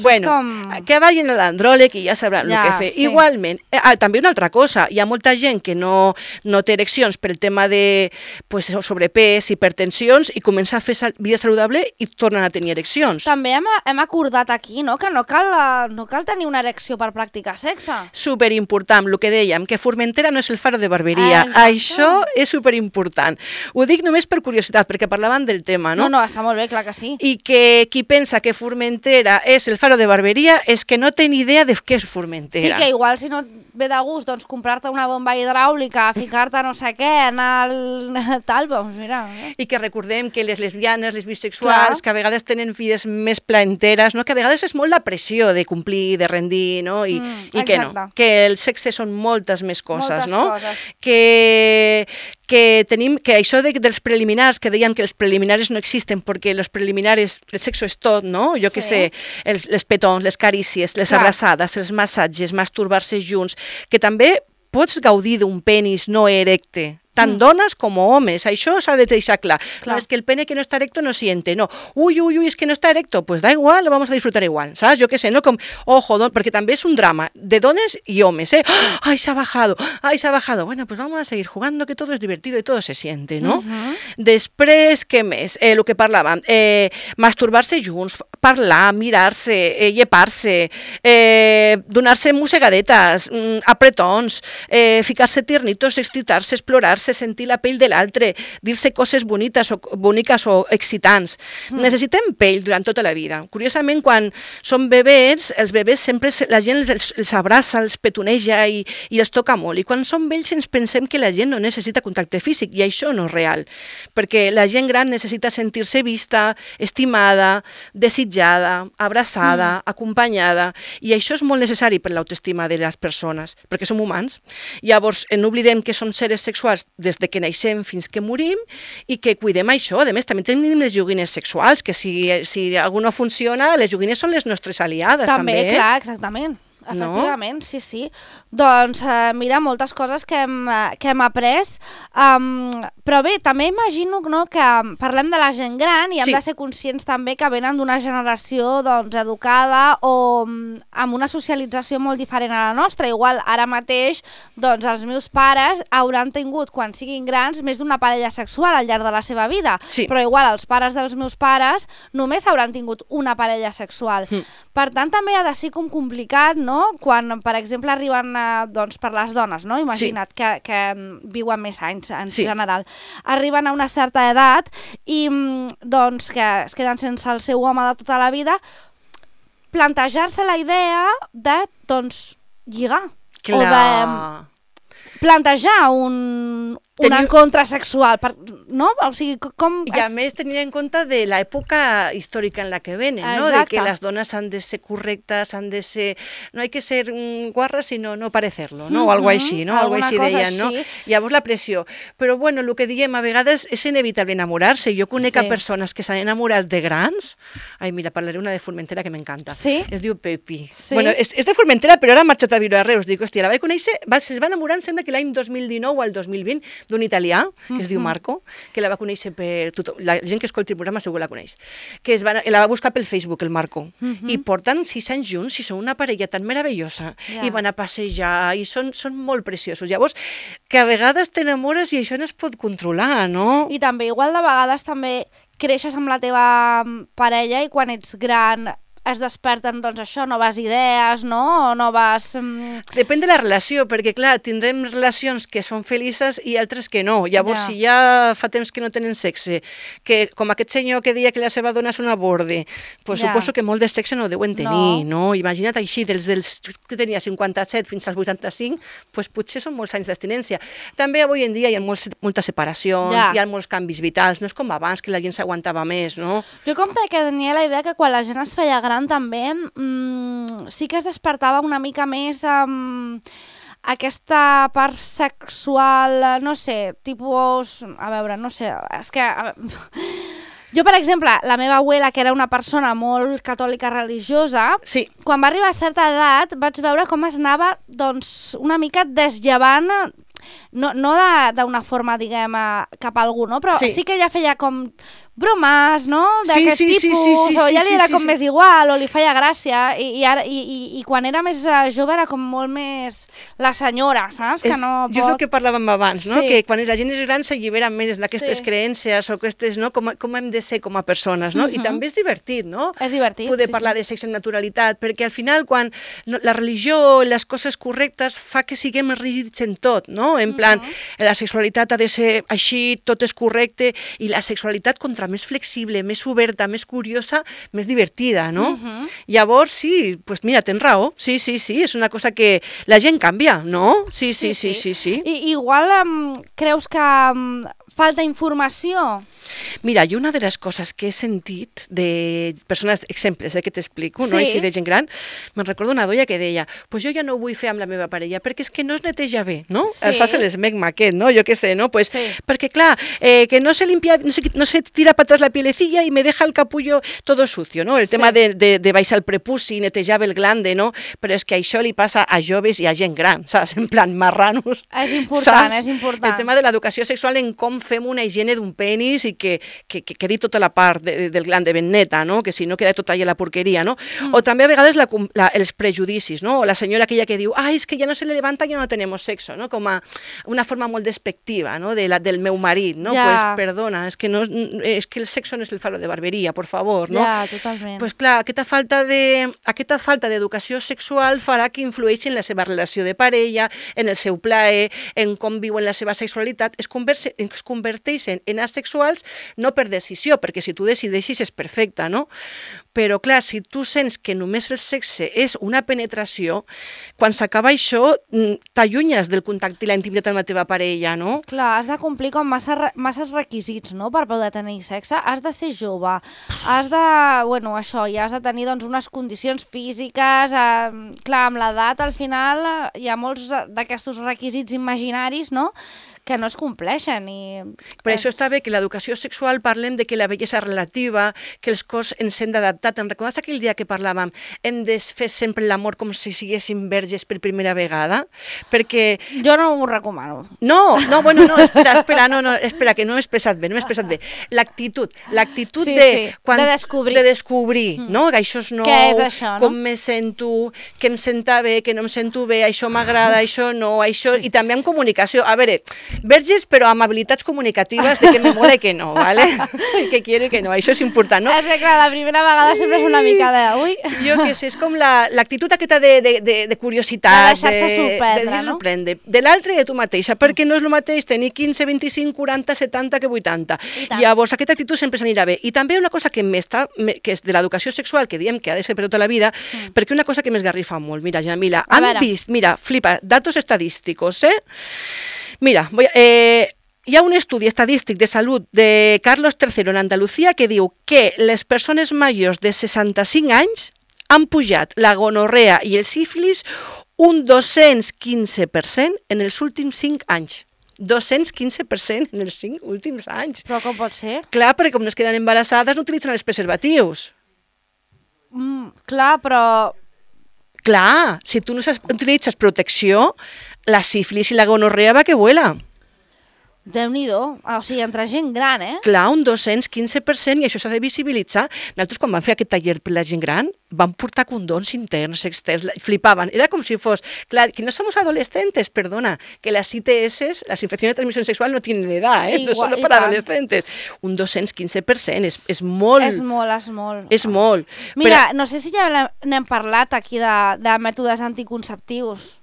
Bueno, com... que vagin a l'andròleg i ja sabran ja, el que fer. Sí. Igualment, eh, ah, també una altra cosa, hi ha molta gent que no, no té ereccions per el tema de pues, sobrepès, hipertensions, i comença a fer sal vida saludable i tornen a tenir ereccions. També hem, hem acordat aquí, no?, que no cal, no cal tenir una erecció per practicar sexe. Superimportant, el que dèiem, que Formentera no és el faro de barberia. Eh, Això és superimportant. Ho dic només per curiositat, perquè parlaven del tema, no? No, no, està molt bé, clar que sí. I que qui pensa que Formentera és el faro de barberia és que no té ni idea de què és Formentera. Sí, que igual si no et ve de gust, doncs comprar-te una bomba hidràulica, ficar-te no sé què, anar al tal, doncs mira. Eh? I que recordem que les lesbianes, les bisexuals, clar, que a vegades tenen vides més plaenteres, no? Que a vegades és molt la pressió de complir, de rendir, no? I, mm, i que no, que el sexe són moltes més coses, moltes no? Coses. Que, que tenim, que això de, dels preliminars, que dèiem que els preliminares no existen perquè els preliminares, el sexo és tot, no? Jo que sí. sé, els, les petons, les carícies, les clar. abraçades, els massatges, masturbar-se junts, que també pots gaudir d'un penis no erecte, tant mm. dones com homes, això s'ha de deixar clar. clar. No, és que el pene que no està erecto no siente, no. Uy, uy, uy, és que no està erecto, pues da igual, lo vamos a disfrutar igual, ¿sabes? Jo què sé, no? Com, ojo, don... perquè també és un drama de dones i homes, ¿eh? Ay, se ha bajado, ay, se ha bajado. Bueno, pues vamos a seguir jugando, que todo es divertido y todo se siente, no? Uh-huh. Després, què més? Eh, el que parlàvem, eh, masturbar-se junts, parlar, mirar-se, eh, llepar-se, eh, donar-se mossegadetes, mm, apretons, eh, ficar-se tiernitos, excitar-se, explorar-se, sentir la pell de l'altre, dir-se coses bonites o, boniques o excitants. Mm. Necessitem pell durant tota la vida. Curiosament, quan són bebès, els bebès sempre la gent els, els abraça, els petoneja i, i els toca molt. I quan són vells ens pensem que la gent no necessita contacte físic, i això no és real, perquè la gent gran necessita sentir-se vista, estimada, desitjada, abraçada, mm. acompanyada, i això és molt necessari per l'autoestima de les persones, perquè som humans. Llavors, no oblidem que som seres sexuals des de que naixem fins que morim i que cuidem això. A més, també tenim les joguines sexuals, que si, si alguna funciona, les joguines són les nostres aliades, també. També, clar, exactament. Efectivament, no? sí, sí. Doncs, eh, mira, moltes coses que hem, que hem après, um, però bé, també imagino, no, que parlem de la gent gran i hem sí. de ser conscients també que venen d'una generació doncs, educada o um, amb una socialització molt diferent a la nostra. Igual, ara mateix, doncs, els meus pares hauran tingut, quan siguin grans, més d'una parella sexual al llarg de la seva vida, sí. però igual els pares dels meus pares només hauran tingut una parella sexual. Mm. Per tant, també ha de ser com complicat, no?, quan, per exemple, arriben eh, doncs, per les dones, no? Imagina't sí. que, que viuen més anys en sí. general. Arriben a una certa edat i doncs, que es queden sense el seu home de tota la vida, plantejar-se la idea de doncs, lligar. Clar. O de plantejar un, un Teniu... encontre sexual, per, no? O sigui, com... I a més tenir en compte de l'època històrica en la que venen, no? De que les dones han de ser correctes, han de ser... No hay que ser guarras, sinó no parecerlo, no? O algo així, no? Algo així deien, no? Llavors la pressió. Però, bueno, el que diem, a vegades és inevitable enamorar-se. Jo conec sí. a persones que s'han enamorat de grans. Ai, mira, parlaré una de Formentera que m'encanta. Sí? Es diu Pepi. Sí? Bueno, és, és de Formentera, però ara ha marxat a viure a Reus. Dic, hòstia, la vaig conèixer, va, es va enamorar, em sembla que l'any dos mil dinou o el dos mil vint, d'un italià, que es diu Marco, que la va conèixer per tothom, la gent que escolti el programa segur que la coneix, que es va, la va buscar pel Facebook, el Marco, uh-huh. i porten sis anys junts, i són una parella tan meravellosa, yeah. i van a passejar, i són, són molt preciosos. Llavors, que a vegades t'enamores i això no es pot controlar, no? I també, igual de vegades també creixes amb la teva parella i quan ets gran es desperten, doncs això, noves idees, no? O noves... Um... Depèn de la relació, perquè, clar, tindrem relacions que són felices i altres que no. Llavors, ja. si ja fa temps que no tenen sexe, que com aquest senyor que deia que la seva dona és una borde, pues ja. suposo que molt de sexe no deuen tenir, no? no? Imagina't així, dels, dels que tenia cinquanta-set fins als vuitanta-cinc, pues potser són molts anys d'abstinència. També avui en dia hi ha molts, moltes separacions, ja. hi ha molts canvis vitals, no és com abans, que la gent s'aguantava més, no? Jo com que tenia la idea que quan la gent es feia gran també mmm, sí que es despertava una mica més um, aquesta part sexual, no sé, tipus... A veure, no sé, és que... Jo, per exemple, la meva abuela, que era una persona molt catòlica religiosa, sí. quan va arribar a certa edat vaig veure com es anava doncs, una mica desllavant, no, no d'una forma, diguem, cap a algú, no? Però sí. sí que ella feia com... bromes, no? D'aquest sí, sí, tipus, sí, sí, sí, o ja li era sí, com sí. més igual, o li feia gràcia, i, i, ara, i, i, i quan era més jove era com molt més la senyora, saps? Que no pot... Jo és el que parlàvem abans, no? Sí. Que quan la gent és gran s'allibera més d'aquestes sí. creences o aquestes, no? Com, com hem de ser com a persones, no? Uh-huh. I també és divertit, no? És divertit, Poder sí, parlar sí. de sexe amb naturalitat, perquè al final quan no, la religió, les coses correctes fa que siguem rígids en tot, no? En plan, uh-huh. la sexualitat ha de ser així, tot és correcte, i la sexualitat contra més flexible, més oberta, més curiosa, més divertida, no? Uh-huh. Llavors, sí, pues mira, tens raó, sí, sí, sí, és una cosa que la gent canvia, no? Sí, sí, sí, sí, sí. sí, sí. I, igual um, creus que um, falta informació? Mira, jo una de les coses que he sentit de persones, exemples eh, que t'explico, sí. no? Així de gent gran, me'n recordo una doia que deia, pues jo ja no ho vull fer amb la meva parella perquè és que no es neteja bé, no? Sí. Es fa l'esmegma aquest, no? Jo què sé, no? Pues, sí. Perquè clar, eh, que no se limpia, no se, no se tira para atrás la pielecilla y me deja el capullo todo sucio, no? El sí. tema de, de, de baixar el prepuci, netejar el glande, no? Però és que això li passa a joves i a gent gran, saps? En plan, marranos. És important, saps? és important. El tema de l'educació sexual en com fem una higiene d'un penis i que, que, que quedi tota la part de, del glande ben neta, no? Que si no queda tot allà la porqueria, no? Mm. O també a vegades la, la, els prejudicis, no? O la senyora aquella que diu, ai, és que ja no se le levanta, ja no tenemos sexo, no? Com a una forma molt despectiva, no? De la, del meu marit, no? Ja. Pues perdona, és que, no, és que el sexo no és el faro de barberia, por favor, no? Ja, totalment. Pues clar, aquesta falta de, aquesta falta d'educació sexual farà que influeixi en la seva relació de parella, en el seu plaer, en com viuen la seva sexualitat, es, converse, es converteixen en asexuals no per decisió, perquè si tu decideixis és perfecte, no? Però, clar, si tu sents que només el sexe és una penetració, quan s'acaba això, t'allunyes del contacte i la intimitat amb la teva parella, no? Clar, has de complir com massa, masses requisits, no?, per poder tenir sexe. Has de ser jove, has de... Bueno, això, ja has de tenir, doncs, unes condicions físiques... Eh, clar, amb l'edat, al final, hi ha molts d'aquests requisits imaginaris, no?, que no es compleixen. I... Per això està bé que l'educació sexual parlem de que la bellesa relativa, que els cos ens hem d'adaptar. Te'n recordes aquell dia que parlàvem? Hem de fer sempre l'amor com si siguéssim verges per primera vegada? Perquè... Jo no ho recomano. No, no, bueno, no, espera, espera, no, no, espera, que no m'he expressat bé, no m'he expressat bé. L'actitud, l'actitud sí, de... Sí, quan, de descobrir. De descobrir, mm. no? Que això és nou, què és això, no? Com me sento, que em senta bé, que no em sento bé, això m'agrada, això no, això... I també amb comunicació. A veure, verges, però amb habilitats comunicatives de que me mola i que no, ¿vale? Que quiero i que no, això és important, no? És que, clar, la primera vegada sí. sempre és una mica de... Ui. Jo què sé, és com l'actitud la, aquesta de, de, de, de curiositat, de deixar-se sorprendre, de, de no? sorprendre, de l'altre i de tu mateixa, perquè no és el mateix tenir quinze, vint-i-cinc, quaranta, setanta que vuitanta. Llavors, aquesta actitud sempre s'anirà bé. I també una cosa que m'està, que és de l'educació sexual, que diem que ha de ser per tota la vida, mm. perquè una cosa que m'esgarrifa molt, mira, Jamila, han vist, mira, flipa, datos estadísticos, eh? Mira, voy a, eh, hi ha un estudi estadístic de salut de Carlos tercero en Andalucía que diu que les persones majors de seixanta-cinc anys han pujat la gonorrea i el sífilis un dos-cents quinze per cent en els últims cinc anys. dos-cents quinze per cent en els cinc últims anys. Però com pot ser? Clar, perquè com no es queden embarassades no utilitzen els preservatius. Mm, clar, però... Clar, si tu no utilitzes protecció, la sífilis i la gonorrea va que vuela. Déu-n'hi-do, o sigui, entre gent gran, eh? Clar, un dos-cents quinze per cent, i això s'ha de visibilitzar. Nosaltres, quan vam fer aquest taller per la gent gran, vam portar condons interns, externs, flipaven. Era com si fos, clar, que no somos adolescentes, perdona, que las I T S, las infecciones de transmisión sexual, no tienen edad, eh? Igual, no solo para adolescentes. Un dos-cents quinze per cent, és, és molt... És molt, és molt. És molt. Mira, però... no sé si ja n'hem parlat aquí de, de mètodes anticonceptius.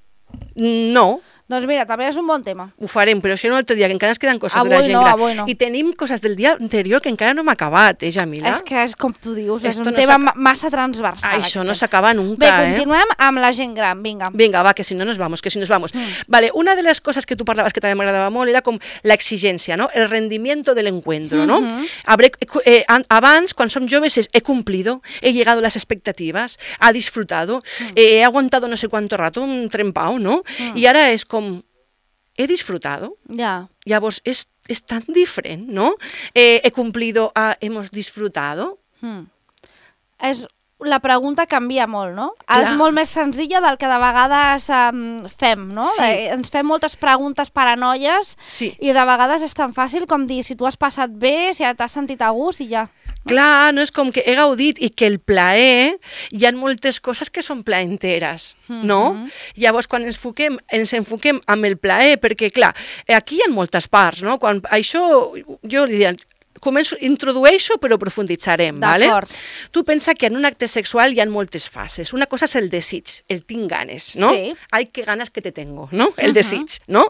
No. Doncs mira, també és un bon tema. Ho farem, però això no l'altre dia, que encara ens queden coses avui de la gent no, gran. Avui no. I tenim coses del dia anterior que encara no hem acabat, eh, Jamila? És que és com tu dius, és Esto un no tema massa transversal. Això no s'acaba nunca, Bé, eh? continuem amb la gent gran, vinga. Vinga, va, que si no nos vamos, que si nos vamos. Mm. Vale, una de les coses que tu parlaves que també m'agradava molt era com l'exigència, no? El rendimiento del encuentro, ¿no? Mm-hmm. Habré, eh, abans, quan som joves, es, he cumplido, he llegado a las expectativas, ha disfrutado, mm. eh, he aguantado no sé cuánto rato, un trempao, ¿no? Mm. I ara és com... he disfrutado. Ya. Llavors, és, és tan diferent, ¿no? Eh, he cumplido, ah, hemos disfrutado. Hmm. És, la pregunta canvia molt, no? Clar. És molt més senzilla del que de vegades um, fem, no? Sí. Eh, ens fem moltes preguntes paranoies Sí. i de vegades és tan fàcil com dir si tu has passat bé, si t'has sentit a gust i ja. Clar, no és com que he gaudit i que el plaer, hi ha moltes coses que són plaenteres, mm-hmm. no? Llavors, quan ens enfoquem, ens enfoquem amb el plaer, perquè, clar, aquí hi ha moltes parts, no? Quan això, jo li diria, començo, introdueixo però profunditzarem, ¿vale? Tu pensa que en un acte sexual hi ha moltes fases. Una cosa és el desig, el tinc ganes, no? Sí. Ai, que ganes que te tengo, no? El uh-huh. desig, no?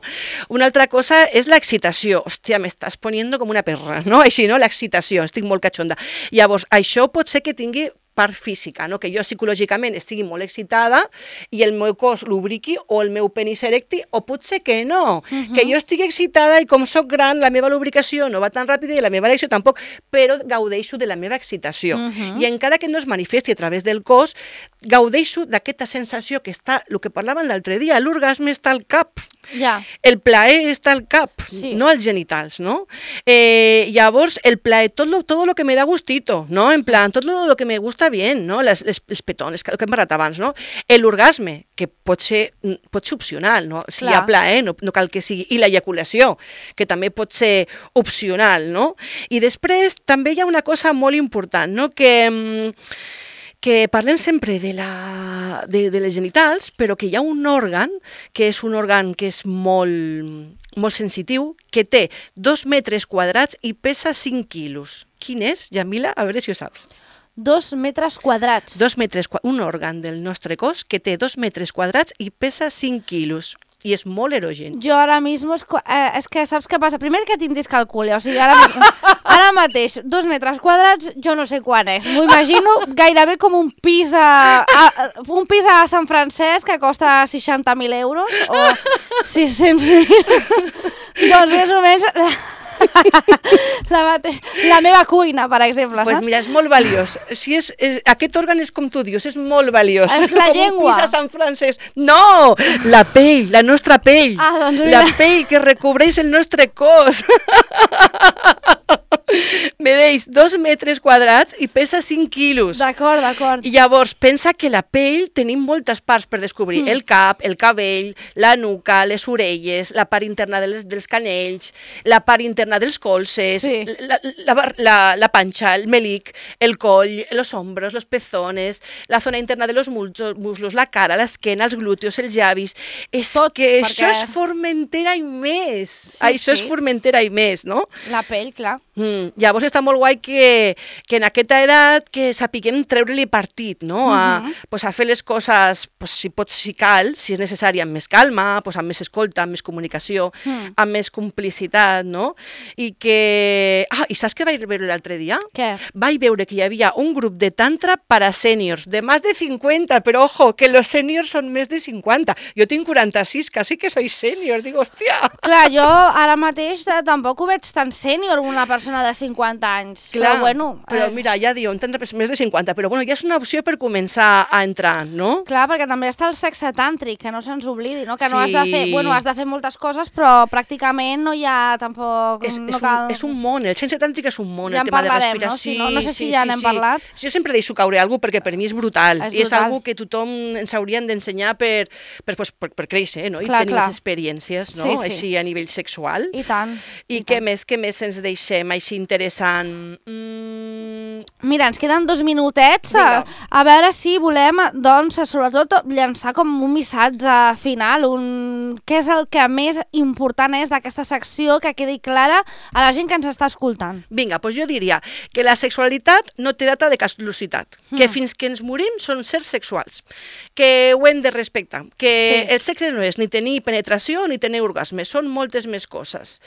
Una altra cosa és l'excitació. Hòstia, m'estàs poniendo com una perra, no? Així, no? L'excitació, estic molt catxonda. Llavors, això pot ser que tingui part física, no? Que jo psicològicament estigui molt excitada i el meu cos lubriqui o el meu penis erecti, o potser que no, uh-huh. que jo estigui excitada i com soc gran la meva lubricació no va tan ràpida i la meva erecció tampoc, però gaudeixo de la meva excitació. Uh-huh. I encara que no es manifesti a través del cos, gaudeixo d'aquesta sensació que està, el que parlàvem l'altre dia, l'orgasme està al cap. Ja. El plaer està al cap, sí. no als genitals, no? Eh, llavors, el plaer, tot lo, todo lo que me da gustito, no? En plan, tot lo, lo que me gusta bien, no? Les, les, les petones, el que hem parlat abans, no? L'orgasme, que pot ser, pot ser opcional, no? Si Clar. Hi ha plaer, no, no cal que sigui... I l'ejaculació, que també pot ser opcional, no? I després també hi ha una cosa molt important, no? Que... que parlem sempre de, la, de, de les genitals, però que hi ha un òrgan, que és un òrgan que és molt, molt sensitiu, que té dos metres quadrats i pesa cinc quilos. Quin és, Jamila? A veure si ho saps. Dos metres quadrats. Dos metres, un òrgan del nostre cos que té dos metres quadrats i pesa cinc quilos. I és molt erogen. Jo ara mismo, és, eh, és que saps què passa? Primer que tinc discalcúlia, o sigui, ara, ara mateix, dos metres quadrats, jo no sé quan és. M'ho imagino gairebé com un pis a, a, un pis a Sant Francesc que costa seixanta mil euros o sis-cents mil. Doncs més o menys... La, mate... la meva cuina, per exemple, pues saps? Mira, és molt valiós. Si és, és, aquest òrgan és com tu dius, és molt valiós. És la com llengua. Un pis a Sant Francesc. No! La pell, la nostra pell. Ah, doncs mira. La pell que recobreix el nostre cos. Medeix dos metres quadrats i pesa cinc quilos. D'acord, d'acord. I llavors, pensa que la pell tenim moltes parts per descobrir. Mm. El cap, el cabell, la nuca, les orelles, la part interna dels, dels canells, la part interna dels colzes, sí. la, la, la, la panxa, el melic, el coll, los hombros, los pezones, la zona interna de los muslos, la cara, l'esquena, els glúteos, els llavis. És Tot, que perquè... això és Formentera i més. Sí, això sí. és Formentera i més, no? La pell, clar. Mm, llavors està molt guai que, que en aquesta edat que sapiguem treure-li partit, no? A, uh-huh. pues a fer les coses, pues, si pot, si cal, si és necessari, amb més calma, pues, amb més escolta, amb més comunicació, uh-huh. amb més complicitat, no? I que... Ah, i saps què vaig veure l'altre dia? Què? Vaig veure que hi havia un grup de tantra para sèniors, de més de cinquanta, però ojo, que los sèniors són més de cinquanta. Jo tinc quaranta-sis, quasi que soy sènior, dic, hòstia! Clar, jo ara mateix tampoc ho veig tan sènior una persona persona de cinquanta anys. Clar, però bueno... Però eh, mira, ja diuen, tindre més de cinquanta, però bueno, ja és una opció per començar a entrar, no? Clar, perquè també està el sexe tàntric, que no se'ns oblidi, no? Que no Sí. has de fer... Bueno, has de fer moltes coses, però pràcticament no hi ha tampoc... És, no és, cal... un, és un món, el sexe tàntric és un món, Ja el en tema de parlarem, no? respiració. Si no, no sé si ja n'hem parlat. Jo sempre deixo caure alguna cosa perquè per mi és brutal, És i és brutal. algo que tothom ens haurien d'ensenyar per, per, pues, per, per créixer, no? I Clar, tenir clar. les experiències, no? Sí, sí. Així a nivell sexual. I tant. I, què més, què més ens deixem així interessant? Mm... Mira, ens queden dos minutets. Vinga. A, a veure si volem, doncs, sobretot, llançar com un missatge final, un... què és el que més important és d'aquesta secció, que quedi clara a la gent que ens està escoltant. Vinga, doncs jo diria que la sexualitat no té data de caducitat, Mm. que fins que ens morim són sers sexuals, que ho hem de respectar, que Sí. el sexe no és ni tenir penetració ni tenir orgasme, són moltes més coses,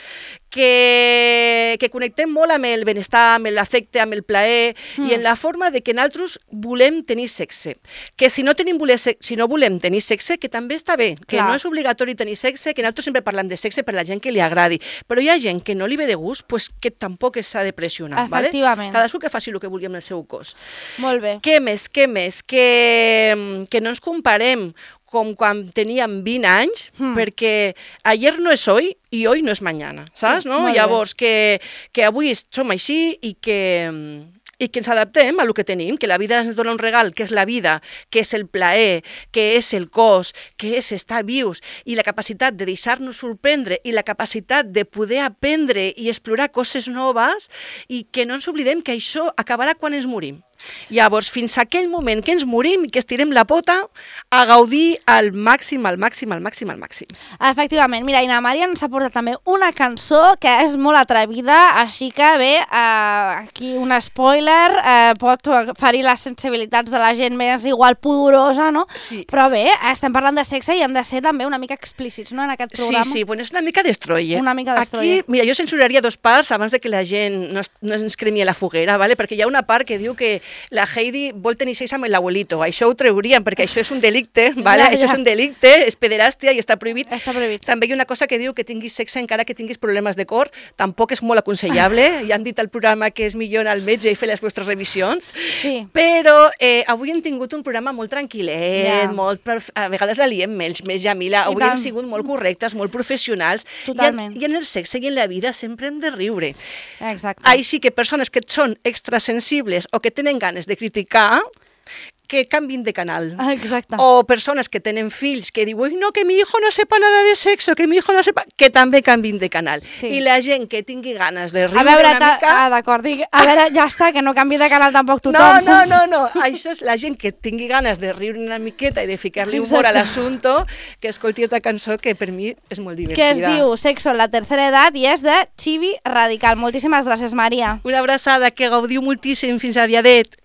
que, que connectem molt amb el benestar, amb l'afecte, amb el plaer Mm. i en la forma de que nosaltres volem tenir sexe, que si no, tenim voler se si no volem tenir sexe, que també està bé, que Clar. no és obligatori tenir sexe, que nosaltres sempre parlem de sexe per la gent que li agradi, però hi ha gent que no li ve de gust, pues que tampoc s'ha de pressionar, ¿vale? Efectivament. Cadascú que faci el que vulgui amb el seu cos. Molt bé. Què més, què més? Que, que no ens comparem com quan teníem vint anys, Hmm. perquè ayer no és hoy i hoy no és mañana, saps? Sí, No? molt bé. Llavors, que, que avui som així i que, i que ens adaptem a el que tenim, que la vida ens dona un regal, que és la vida, que és el plaer, que és el cos, que és estar vius, i la capacitat de deixar-nos sorprendre i la capacitat de poder aprendre i explorar coses noves, i que no ens oblidem que això acabarà quan ens morim. Llavors, fins a aquell moment que ens morim i que estirem la pota, a gaudir al màxim, al màxim, al màxim, al màxim. Efectivament. Mira, i na Maria ens ha portat també una cançó que és molt atrevida, així que bé, eh, aquí un spoiler, eh, pot ferir les sensibilitats de la gent més igual pudorosa, no? Sí. Però bé, estem parlant de sexe i hem de ser també una mica explícits, no?, en aquest programa. Sí, sí, bueno, és una mica destroyer. Una mica destroyer. Aquí, mira, jo censuraria dos parts abans de que la gent no, es, no ens cremi a la foguera, ¿vale? Perquè hi ha una part que diu que la Heidi vol tenir sexe amb l'abuelito. Això ho trauríem, perquè això és un delicte, ¿vale? Ja, ja. Això és un delicte, és pederàstia i està prohibit. Està prohibit. També hi ha una cosa que diu que tinguis sexe encara que tinguis problemes de cor, tampoc és molt aconsellable. Ja han dit al programa que és millor anar al metge i fer les vostres revisions. Sí. Però eh, avui hem tingut un programa molt tranquil·let, Ja. molt per, a vegades la liem més, més Jamila. I Avui tant. hem sigut molt correctes, molt professionals. Totalment. I en, I en el sexe i en la vida sempre hem de riure. Exacte. Així que persones que són extrasensibles o que tenen ganes de criticar, que canvin de canal. Exacte. O persones que tenen fills que diuen, "Uy, no, que mi hijo no sepa nada de sexo, que mi hijo no sepa", que també canvin de canal. Sí. I la gent que tingui ganes de A riure veure, una ta- mica... ah, d'acord, dic, a veure, ja està, que no canvi de canal tampoc tothom. No, no, saps? no, no, això és la gent que tingui ganes de riure una miqueta i de ficar-li humor a Exacte. l'assumpte, que escolti aquesta cançó que per mi és molt Que divertida. es diu Sexo en la tercera edat i és de Chibi Radical. Moltíssimes gràcies, Maria. Una abraçada, que gaudiu moltíssim, fins aviadet.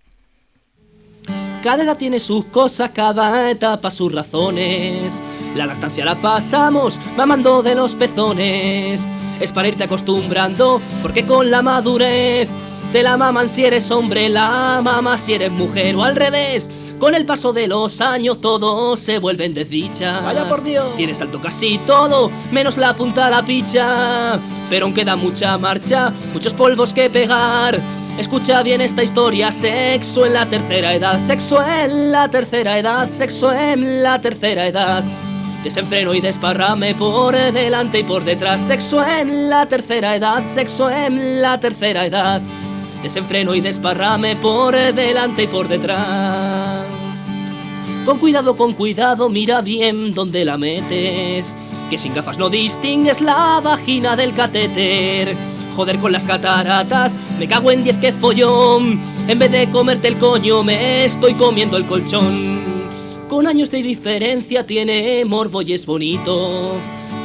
Cada edad tiene sus cosas, cada etapa sus razones. La lactancia la pasamos mamando de los pezones. Es para irte acostumbrando, porque con la madurez te la maman si eres hombre, la mama si eres mujer o al revés. Con el paso de los años todos se vuelven desdichas. Vaya por Dios. Tienes alto casi todo, menos la punta a la picha. Pero aún queda mucha marcha, muchos polvos que pegar. Escucha bien esta historia, sexo en la tercera edad, sexo en la tercera edad, sexo en la tercera edad. Desenfreno y desparrame por delante y por detrás, sexo en la tercera edad, sexo en la tercera edad. Desenfreno y desparrame por delante y por detrás. Con cuidado, con cuidado, mira bien dónde la metes, que sin gafas no distingues la vagina del catéter. Joder con las cataratas, me cago en diez que follón. En vez de comerte el coño me estoy comiendo el colchón. Con años de diferencia tiene morbo y es bonito.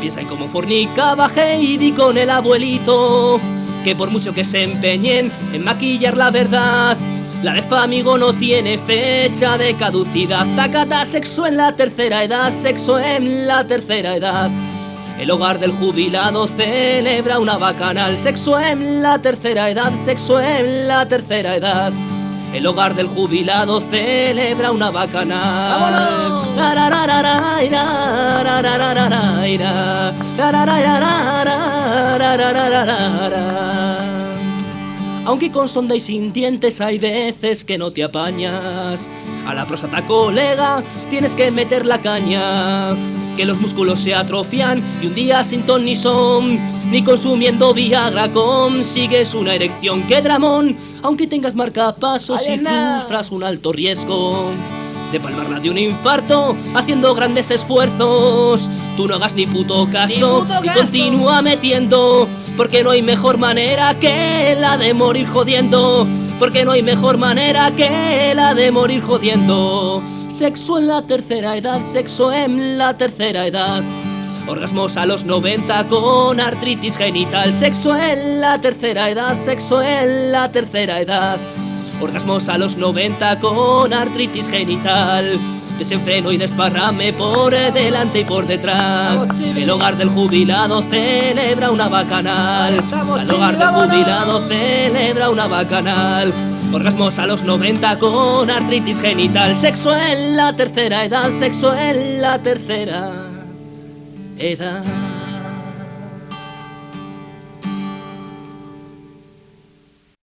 Piensa en cómo fornicaba Heidi con el abuelito, que por mucho que se empeñen en maquillar la verdad, la de Famigo no tiene fecha de caducidad. Tacata, sexo en la tercera edad, sexo en la tercera edad. El hogar del jubilado celebra una bacanal, sexo en la tercera edad, sexo en la tercera edad. El hogar del jubilado celebra una bacanal. aunque con sonda y sin dientes hay veces que no te apañas. A la próstata, colega, tienes que meter la caña, que los músculos se atrofian y un día sin ton ni son, ni consumiendo Viagra consigues una erección. ¡Qué dramón! Aunque tengas marcapasos y sufras un alto riesgo de palmarla de un infarto haciendo grandes esfuerzos, tú no hagas ni puto caso, ni puto caso. Y continúa metiendo, porque no hay mejor manera que la de morir jodiendo, porque no hay mejor manera que la de morir jodiendo. Sexo en la tercera edad, sexo en la tercera edad. Orgasmos a los noventa con artritis genital. Sexo en la tercera edad, sexo en la tercera edad. Orgasmos a los noventa con artritis genital. Desenfreno y desparrame por delante y por detrás. El hogar del jubilado celebra una bacanal. El hogar del jubilado celebra una bacanal. Orgasmos a los noventa con artritis genital. Sexo en la tercera edad, sexo en la tercera edad.